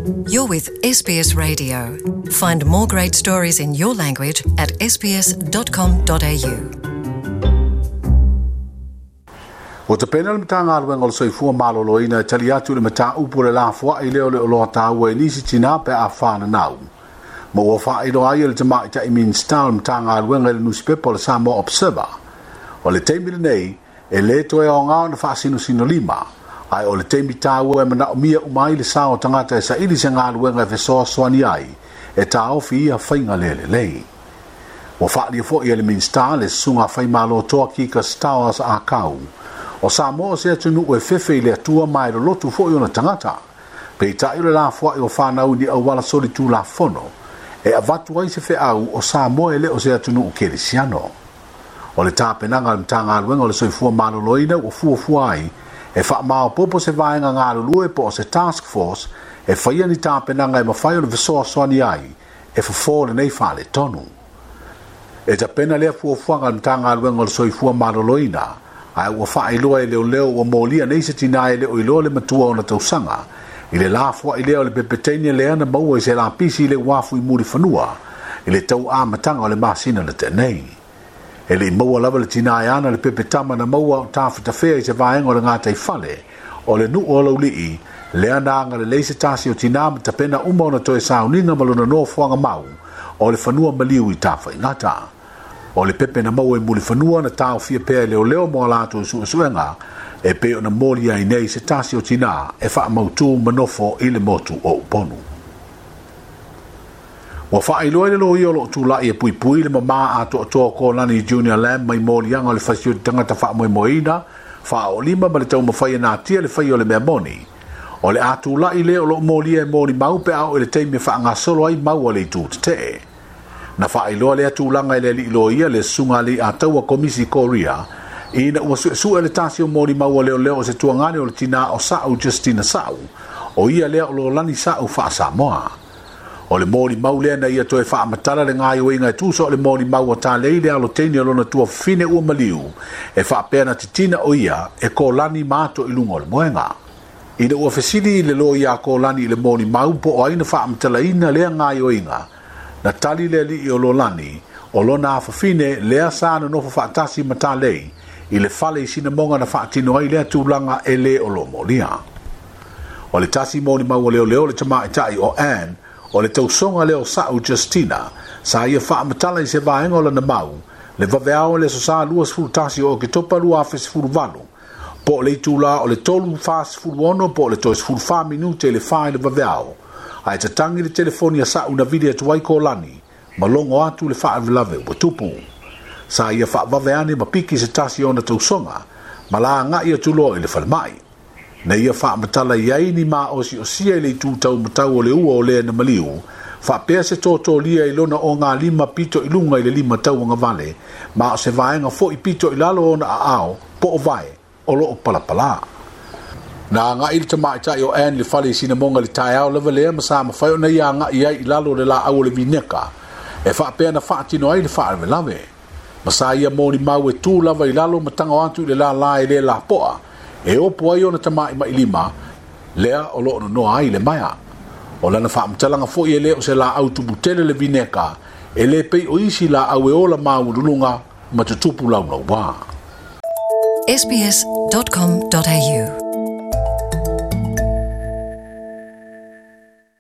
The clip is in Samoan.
You're with SBS Radio. Find more great stories in your language at sbs.com.au. Ua tapena le Matagaluega o le Soifua Maloloina e tali atu i le mataupu o le lafoai lea o le oloa taua i nisi tinā pe a fananau. Ma ua faailoa ai e le Tamaitai Minisita o le Matagaluega i le nusipepa o le Samoa Observer, o le taimi lenei e lē toe aoga ona faasinosinolima, ae o le taimi taua e manaomia uma ai le sao o tagata e saili se galuega e fesoasoani ai e taofi ia faiga le lelei. Ua faaalia foi e le Minisita le Susuga Faimalotoa Kika Stowers Akau, o Samoa o se atunuu e fefe i le Atua ma e lolotu foi ona tagata. Peitai o le lafoai o fanau i ni auala solitulafono e avatu ai se feau o Samoa e le o se atunuu kerisiano. O le tapenaga a le Matagaluega o le Soifua Maloloina ua fuafua ai e faamaopoopo se vaega galulue po o se task force e faia ni tapenaga e mafai ona fesoasoani ai e fofo lenei faaletonu. E tapena lea fuafuaga a le Matagaluega o le Soifua Maloloina, ae ua faailoa e leoleo ua molia nei se tinā e le o iloa le matua o ona tausaga i le lafoai lea o le pepeteine lea na maua i se lapisi i le uafu i Mulifanua i le tau amataga o le masina na tea nei. E le i maua lava le tinā e ana le pepe tama na maua o tafetafea i se vaega o le gataifale o le nuu o Laulii, lea na agalelei se tasi o tinā ma tapena uma ona toe sauniga ma lona nofoaga mau o le fanua maliu i Tafaigata. O le pepe na maua i Mulifanua na taofia pea e leoleo mo a latou suesuega e pei ona molia ai nei se tasi o tinā e faamautū ma nofo i le motu o Upolu. Ua faailoa e le loia o lo o tulai e puipui le mamā atoatoa o Kolani Junior Lamb mai moliaga o le fasioti tagata faamoemoeina, faaoolima ma le taumafai e natia le faia o le mea moni. O le a tulai le o lo o molia e molimau pe a oo i le taimi e faagasolo ai mau a le itu tetee. Na faailoa lea tulaga e le alii loia le Susuga Alii-a-Taua Komisi Korea ina ua suesue le tasi o molimau a leoleo o se tuagane o le tinā o Sa'u Justina Sa'u, o ia lea o Lolani Sa'u faa-Samoa. O le molimau lea na ia toe faamatala le gaoioiga e tusa o le molimau a Talei le alo teine o lona tuafafine ua maliu e faapea na titina o ia e Kolani ma ato i luga o le moega. Ina ua fesili le loia a Kolani i le molimau po o ai na faamatalaina lea gaoioiga, na tali le alii o Lolani, o lona afafine lea sa nonofo faatasi ma Talei i le fale i Sinamoga na faatino ai lea tulaga e le o lo molia. O le tasi molimau a leoleo le tamaitai o Ann, o le tausoga lea o Sa'u Justina, sa ia faamatala i se vaega o lana mau, le vaveao i le Aso Sa 21 o Oketopa 2018, po o le itulā o le 3:46 po o le toe 14 minute i le 4 i le vaveao, ae tatagi le telefoni a Sa'u na vili atu ai Kolani ma logo atu le faalavelave ua tupu. Sa ia faavave ane ma piki se tasi o ona tausoga ma la agai atu loa i le falemai. Na ia faamatala i ai ni maosiosia i le itu taumatau o le ua o lea na maliu, faapea se totolia i lona ogalima pito i luga i le lima tauagavale, ma o se vaega foi pito i lalo o ona aao po o vae o lo o palapalā. Na agai le tamaitai o Ann i le fale i Sinamoga i le taeao lava lea ma sa mafai ona ia agai ai i lalo o le laau o le vineka e faapea na faatino ai le faalavelave. Ma sa ia molimau e tu lava i lalo ma tago atu i le lālā e le lapoa e opo ai ona tamaʻimaʻilima lea o lo o nonoa ai le maea. O lana faamatalaga foi e le o se laau tuputele le vineka e le pei o isi laau e ola maualuluga ma tutupu laulauā. sbs.com.au